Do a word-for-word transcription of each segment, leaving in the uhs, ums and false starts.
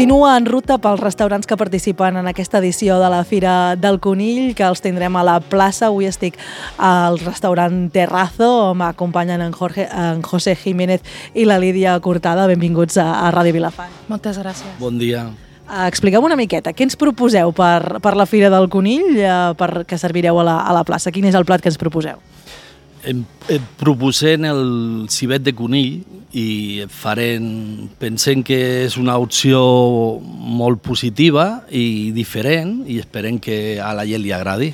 Continua en ruta pels restaurants que participen en aquesta edició de la Fira del Conill, que els tindrem a la plaça. Avui estic al restaurant Terrazo, m'acompanyen en, Jorge, en José Jiménez i la Lídia Cortada. Benvinguts a, a Ràdio Vilafant. Moltes gràcies. Bon dia. Uh, expliqueu una miqueta, què ens proposeu per, per la Fira del Conill, uh, per, que servireu a la, a la plaça? Quin és el plat que ens proposeu? Em, em proposem el civet de conill i farem, pensem que és una opció molt positiva i diferent i esperem que a la gent li agradi.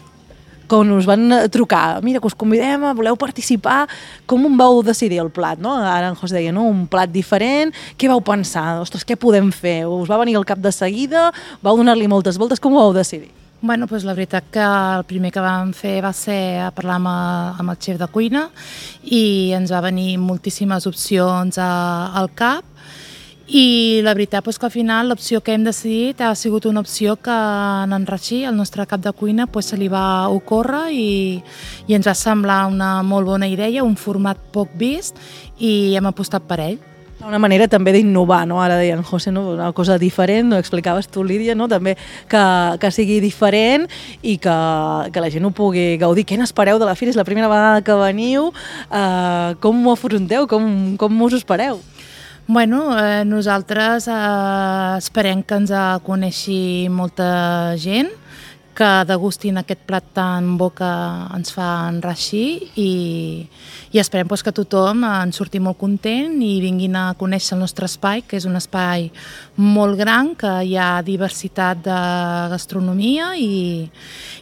Quan us van trucar, mira, que us convidem, voleu participar, com en vau decidir el plat? No? Ara en José deia, no? Un plat diferent, què vau pensar? Ostres, què podem fer? Us va venir al cap de seguida? Vau donar-li moltes voltes? Com ho vau decidir? Bueno, doncs la veritat que el primer que vam fer va ser a parlar amb, amb el xef de cuina i ens va venir moltíssimes opcions a, al cap i la veritat doncs que al final l'opció que hem decidit ha sigut una opció que en Rachid, el nostre cap de cuina, doncs se li va ocórrer i, i ens va semblar una molt bona idea, un format poc vist i hem apostat per ell. Una manera també d'innovar, no? Ara deien, José, no? Una cosa diferent, no? Explicaves tu, Lídia, no? També que, que sigui diferent i que, que la gent ho pugui gaudir. Què n'espereu de la Fira? És la primera vegada que veniu. Uh, com ho afronteu? Com, com us ho espereu? Bueno, eh, nosaltres eh, esperem que ens coneixi molta gent, que degustin aquest plat tan bo que ens fa en Rachid i, i esperem pues, que tothom en surti molt content i vinguin a conèixer el nostre espai, que és un espai molt gran, que hi ha diversitat de gastronomia i,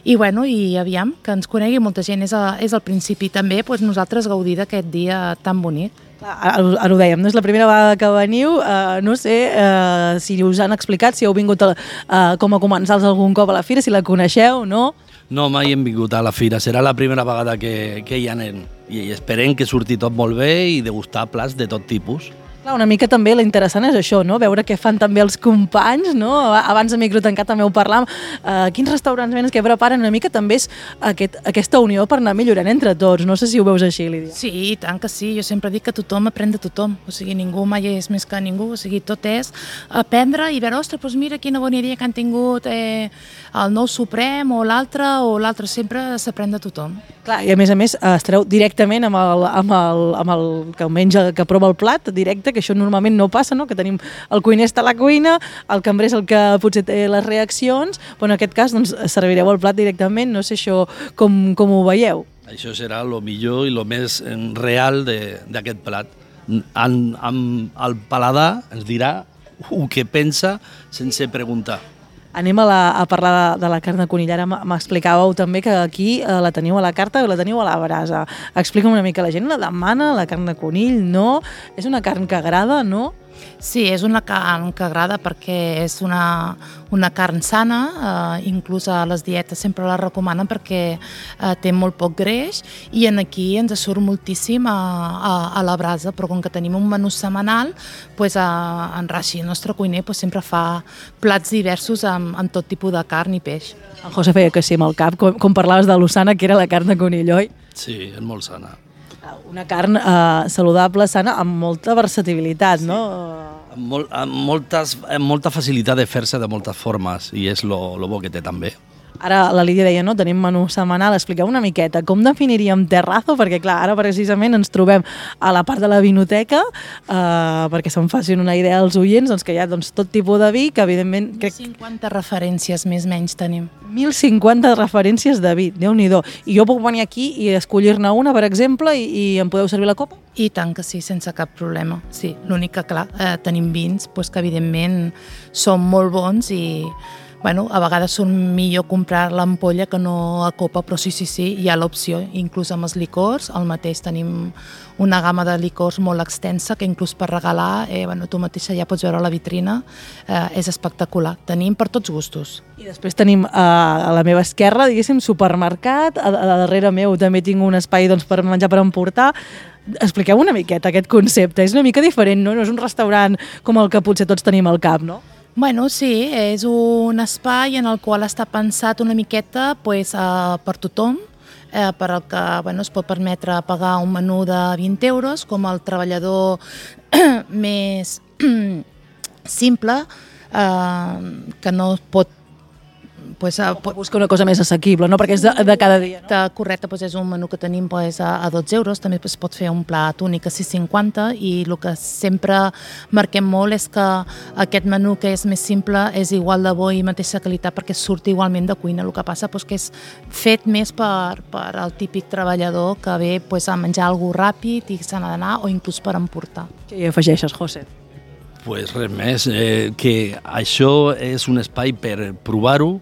i, bueno, i aviam, que ens conegui molta gent. És, a, és al principi també pues, nosaltres gaudir d'aquest dia tan bonic. Ara, ara ho dèiem, no és la primera vegada que veniu, uh, no sé uh, si us han explicat, si heu vingut a, uh, com a comensals algun cop a la Fira, si la coneixeu, no? No, mai hem vingut a la Fira, serà la primera vegada que, que hi anem i esperem que surti tot molt bé i degustar plats de tot tipus. Clar, una mica també l'interessant és això, no? Veure què fan també els companys, no? Abans de micro tancat també ho parlàvem, uh, quins restaurants venen, què preparen, una mica també és aquest, aquesta unió per anar millorant entre tots, no sé si ho veus així, Lídia. Sí, i tant que sí, jo sempre dic que tothom aprèn de tothom, o sigui, ningú mai és més que ningú, o sigui, tot és aprendre i veure, ostres, doncs mira quina bona idea que han tingut eh, el nou Suprem o l'altre, o l'altre, sempre s'aprèn de tothom. Clar, i a més a més estareu directament amb el, amb el, amb el que menja, que prova el plat, directe, que això normalment no passa, no? Que tenim el cuiner està a la cuina, el cambrer és el que potser té les reaccions, però en aquest cas doncs, servireu el plat directament, no sé això com, com ho veieu. Això serà el millor i el més real d'aquest plat. En, en, el paladar ens dirà el que pensa sense preguntar. Anem a, la, a parlar de, de la carn de conill. Ara m'explicàveu també que aquí eh, la teniu a la carta o la teniu a la brasa. Explica'm una mica, la gent la demana, la carn de conill, no? És una carn que agrada, no? Sí, és una carn que agrada perquè és una, una carn sana, eh, inclús a les dietes sempre la recomanen perquè eh, té molt poc greix i en aquí ens surt moltíssim a, a, a la brasa, però com que tenim un menú setmanal, pues, a, en Rachid, el nostre cuiner, pues, sempre fa plats diversos amb, amb tot tipus de carn i peix. En José feia que sí amb el cap, com, com parlaves de l'Osana, que era la carn de conill, oi? Sí, és molt sana. Una carn eh, saludable, sana, amb molta versatilitat, sí. No? Amb, molt, amb, moltes, amb molta facilitat de fer-se de moltes formes i és lo, lo bo que té també. Ara la Lídia deia, no, tenim menú setmanal, expliqueu una miqueta, com definiríem Terrazo? Perquè clar, ara precisament ens trobem a la part de la vinoteca, eh, perquè se'n facin una idea als oients, doncs que hi ha doncs, tot tipus de vi, que evidentment... Crec... mil cinquanta referències més menys tenim. mil cinquanta referències de vi, Déu-n'hi-do. I jo puc venir aquí i escollir-ne una, per exemple, i, i em podeu servir la copa? I tant que sí, sense cap problema. Sí, l'únic que, clar, eh, tenim vins pues, que evidentment són molt bons i... Bueno, a vegades surt millor comprar l'ampolla que no a copa, però sí, sí, sí, hi ha l'opció, inclús amb els licors. Al mateix tenim una gamma de licors molt extensa que inclús per regalar, eh, bueno, tu mateixa ja pots veure a la vitrina, eh, és espectacular. Tenim per tots gustos. I després tenim eh, a la meva esquerra, diguéssim, supermercat, a, a darrere meu també tinc un espai doncs, per menjar per emportar. Expliqueu una miqueta aquest concepte, és una mica diferent, no? No és un restaurant com el que potser tots tenim al cap, no? Bueno, sí, és un espai en el qual està pensat una miqueta pues, uh, per tothom, eh, per al que bueno, es pot permetre pagar un menú de vint euros, com el treballador més simple, eh, que no pot Pues, uh, O busca una cosa més assequible, no? Perquè és de, de cada dia, no? Correcte, doncs és un menú que tenim doncs, a, a dotze euros, també es pot fer un plat únic a sis cinquanta i el que sempre marquem molt és que aquest menú que és més simple és igual de bo i mateixa qualitat perquè surt igualment de cuina. El que passa doncs, que és fet més per, per al típic treballador que ve doncs, a menjar alguna ràpid i se n'ha d'anar o inclús per emportar. Què hi afegeixes, José? Pues res més, eh, que això és un espai per provar-ho,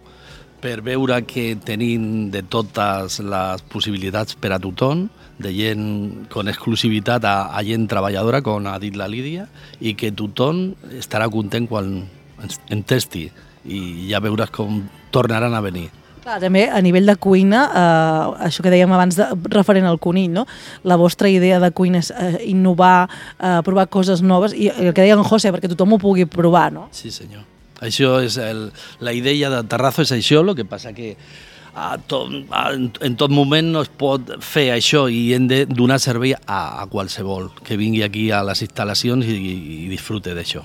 per veure que tenim de totes les possibilitats per a tothom, de gent con exclusivitat a, a gent treballadora, com ha dit la Lídia, i que tothom estarà content quan en testi i ja veuràs com tornaran a venir. Clar, també a nivell de cuina, eh, això que dèiem abans de, referent al conill, no? La vostra idea de cuina és eh, innovar, eh, provar coses noves, i el que deia en José, perquè tothom ho pugui provar, no? Sí, senyor. Això és el, la idea de Terrazo és això, el que passa que a tot, a, en tot moment no es pot fer això i hem de donar servei a, a qualsevol que vingui aquí a les instal·lacions i, i disfrute d'això.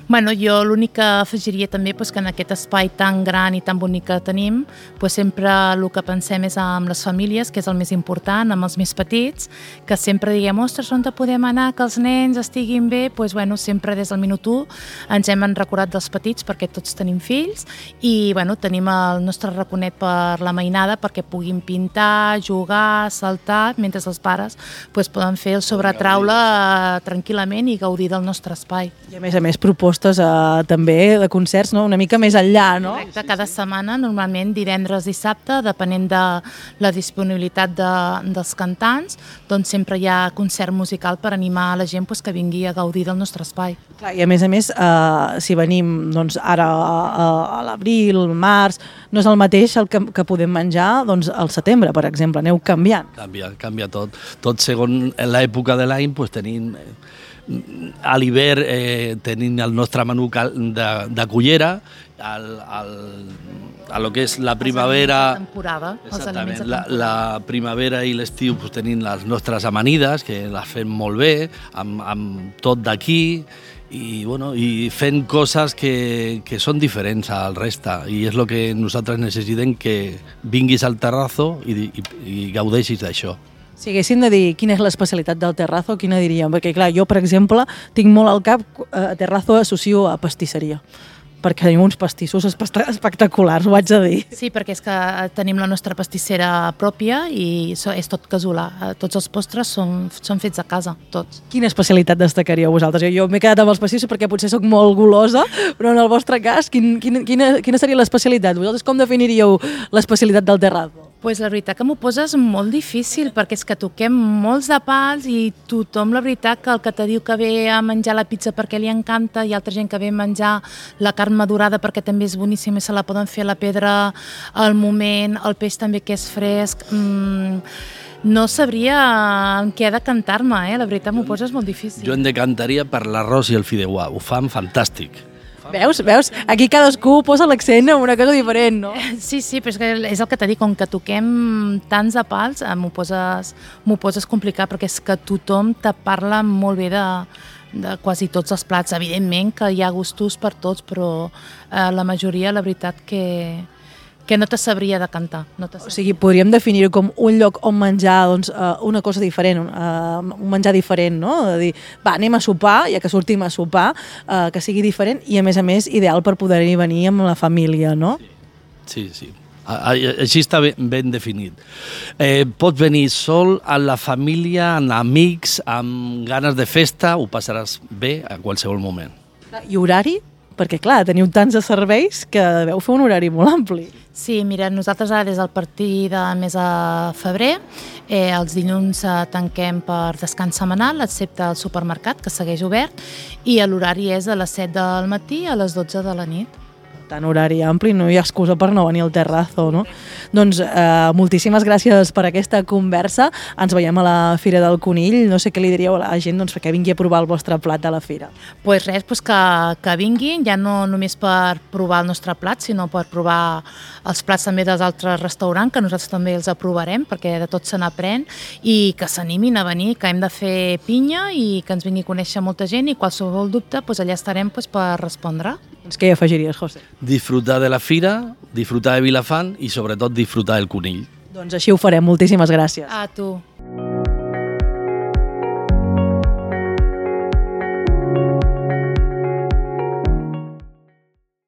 Bueno, jo l'únic que afegiria també és que en aquest espai tan gran i tan bonic que tenim doncs sempre el que pensem és amb les famílies, que és el més important, amb els més petits, que sempre diguem, ostres, on podem anar, que els nens estiguin bé, doncs bueno, sempre des del minut u ens hem recordat dels petits perquè tots tenim fills i bueno, tenim el nostre raconet per la mainada perquè puguin pintar, jugar, saltar, mentre els pares doncs poden fer el sobretaula tranquil·lament i gaudir del nostre espai. I a més a més propostes Uh, també de concerts, no? Una mica més enllà, no? Correcte, cada setmana, normalment divendres i dissabte, depenent de la disponibilitat de, dels cantants, doncs sempre hi ha concert musical per animar a la gent pues, que vingui a gaudir del nostre espai. Clar, i a més a més, uh, si venim doncs, ara a, a l'abril, al març, no és el mateix el que, que podem menjar doncs, al setembre, per exemple, aneu canviant. Canvia, canvia tot. Tot segons l'època de l'any pues, tenim... A l'hivern eh, tenim el nostre menú de, de cullera, al, al, a lo que és la primavera, la temporada, exactament, la, la primavera i l'estiu pues, tenim les nostres amanides, que les fem molt bé, amb, amb tot d'aquí, i, bueno, i fent coses que, que són diferents al resta, i és el que nosaltres necessitem, que vinguis al Terrazo i, i, i gaudeixis d'això. Si haguéssim de dir quina és l'especialitat del Terrazo, quina diríem? Perquè, clar, jo, per exemple, tinc molt al cap a Terrazo associo a pastisseria, perquè tenim uns pastissos espectaculars, ho haig de dir. Sí, perquè és que tenim la nostra pastissera pròpia i és tot casolà. Tots els postres són, són fets a casa, tots. Quina especialitat destacaríeu vosaltres? Jo, jo m'he quedat amb els pastissos perquè potser sóc molt golosa, però en el vostre cas, quin, quina, quina, quina seria l'especialitat? Vosaltres com definiríeu l'especialitat del Terrazo? Pues la veritat que m'ho poses molt difícil perquè és que toquem molts de pals i tothom, la veritat, que el que te diu que ve a menjar la pizza perquè li encanta i altra gent que ve a menjar la carn madurada perquè també és boníssima i se la poden fer a la pedra al moment, el peix també que és fresc. Mm, no sabria en què decantar-me, eh? La veritat m'ho poses molt difícil. Jo em decantaria per l'arròs i el fideuà, ho fan fantàstic. Veus? Veus? Aquí cadascú posa l'accent en una cosa diferent, no? Sí, sí, però és, que és el que t'he dit, com que toquem tants de pals, m'ho poses, m'ho poses complicat, perquè és que tothom te parla molt bé de, de quasi tots els plats. Evidentment que hi ha gustos per tots, però eh, la majoria, la veritat, que, que no te sabria decantar. No te sabria. O sigui, podríem definir-ho com un lloc on menjar doncs, una cosa diferent, un, un menjar diferent, no? De dir, va, anem a sopar, ja que sortim a sopar, eh, que sigui diferent i, a més a més, ideal per poder-hi venir amb la família, no? Sí, sí. Així està ben, ben definit. Eh, pots venir sol, amb la família, amb amics, amb ganes de festa, ho passaràs bé a qualsevol moment. I horari? Perquè, clar, teniu tants de serveis que deveu fer un horari molt ampli. Sí, mira, nosaltres ara des del partir de mes de febrer, eh, els dilluns eh, tanquem per descans setmanal, excepte el supermercat, que segueix obert, i l'horari és de les set del matí a les dotze de la nit. tant horari ampli, no hi ha excusa per no venir al terrazo, no? Doncs eh, moltíssimes gràcies per aquesta conversa. Ens veiem a la Fira del Conill. No sé què li diríeu a la gent doncs, que vingui a provar el vostre plat de la fira. Pues res, pues que, que vinguin, ja no només per provar el nostre plat, sinó per provar els plats també dels altres restaurants, que nosaltres també els aprovarem, perquè de tot se n'aprèn, i que s'animin a venir, que hem de fer pinya i que ens vingui a conèixer molta gent, i qualsevol dubte pues, allà estarem pues, per respondre. Doncs què hi afegiries, José? Disfrutar de la fira, disfrutar de Vilafant i sobretot disfrutar del conill. Doncs així ho farem. Moltíssimes gràcies. A tu.